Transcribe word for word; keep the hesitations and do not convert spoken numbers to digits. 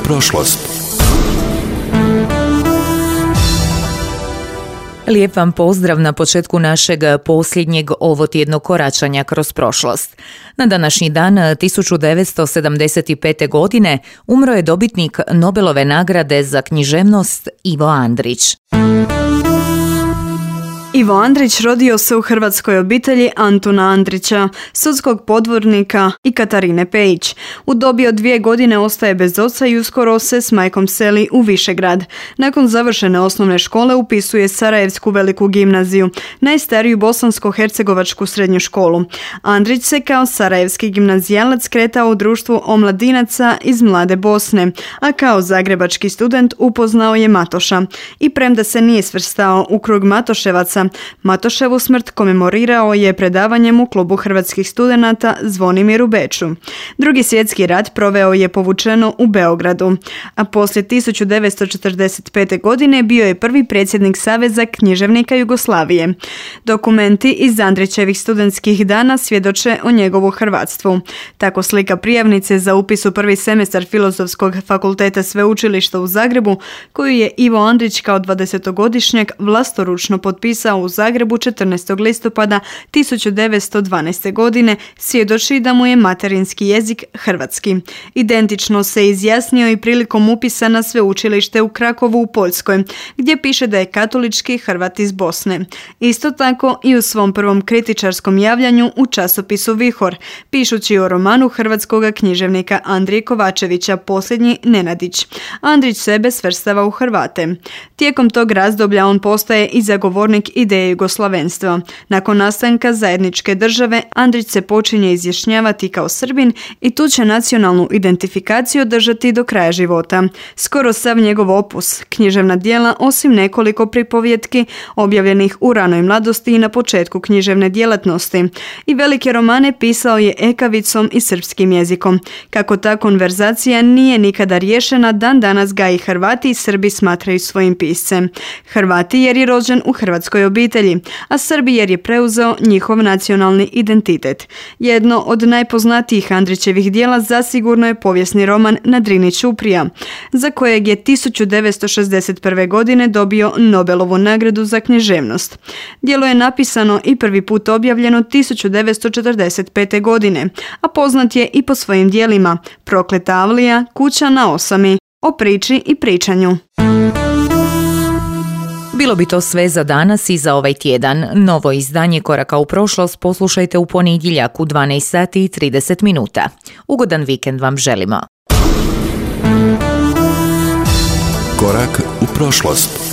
prošlost. Lijep vam pozdrav na početku našeg posljednjeg ovotjednog koračanja kroz prošlost. Na današnji dan tisuću devetsto sedamdeset pete. godine umro je dobitnik Nobelove nagrade za književnost Ivo Andrić. Ivo Andrić rodio se u hrvatskoj obitelji Antuna Andrića, sudskog podvornika i Katarine Pejić. U dobi od dvije godine ostaje bez oca i uskoro se s majkom seli u Višegrad. Nakon završene osnovne škole upisuje Sarajevsku veliku gimnaziju, najstariju bosansko-hercegovačku srednju školu. Andrić se kao sarajevski gimnazijalac kretao u društvu omladinaca iz Mlade Bosne, a kao zagrebački student upoznao je Matoša. I premda se nije svrstao u krug Matoševaca, Matoševu smrt komemorirao je predavanjem u klubu hrvatskih studenata Zvonimir u Beču. Drugi svjetski rat proveo je povučeno u Beogradu, a poslije tisuću devetsto četrdeset pete. godine bio je prvi predsjednik Saveza književnika Jugoslavije. Dokumenti iz Andrićevih studentskih dana svjedoče o njegovu hrvatstvu. Tako slika prijavnice za upis u prvi semestar Filozofskog fakulteta Sveučilišta u Zagrebu, koju je Ivo Andrić kao dvadesetogodišnjak vlastoručno potpisao u Zagrebu četrnaestog listopada tisuću devetsto dvanaeste. godine, svjedoči da mu je materinski jezik hrvatski. Identično se izjasnio i prilikom upisa na sveučilište u Krakovu u Poljskoj, gdje piše da je katolički Hrvat iz Bosne. Isto tako i u svom prvom kritičarskom javljanju u časopisu Vihor, pišući o romanu hrvatskog književnika Andrije Kovačevića Posljednji Nenadić. Andrić sebe svrstava u Hrvate. Tijekom tog razdoblja on postaje i zagovornik ideje jugoslavenstva. Nakon nastanka zajedničke države, Andrić se počinje izjašnjavati kao Srbin i tu će nacionalnu identifikaciju držati do kraja života. Skoro sav njegov opus, književna djela, osim nekoliko pripovjetki objavljenih u ranoj mladosti i na početku književne djelatnosti, i velike romane pisao je ekavicom i srpskim jezikom. Kako ta konverzacija nije nikada riješena, dan danas ga i Hrvati i Srbi smatraju svojim piscem. Hrvati jer je rođen u hrvatskoj obitelji, a Srbi jer je preuzeo njihov nacionalni identitet. Jedno od najpoznatijih Andrićevih djela zasigurno je povijesni roman Na Drini ćuprija, za kojeg je tisuću devetsto šezdeset prve. godine dobio Nobelovu nagradu za književnost. Djelo je napisano i prvi put objavljeno tisuću devetsto četrdeset pete. godine, a poznat je i po svojim djelima Prokleta avlija, Kuća na osami, O priči i pričanju. Bilo bi to sve za danas i za ovaj tjedan. Novo izdanje Koraka u prošlost poslušajte u ponedjeljak u dvanaest sati i trideset minuta. Ugodan vikend vam želimo. Korak u prošlost.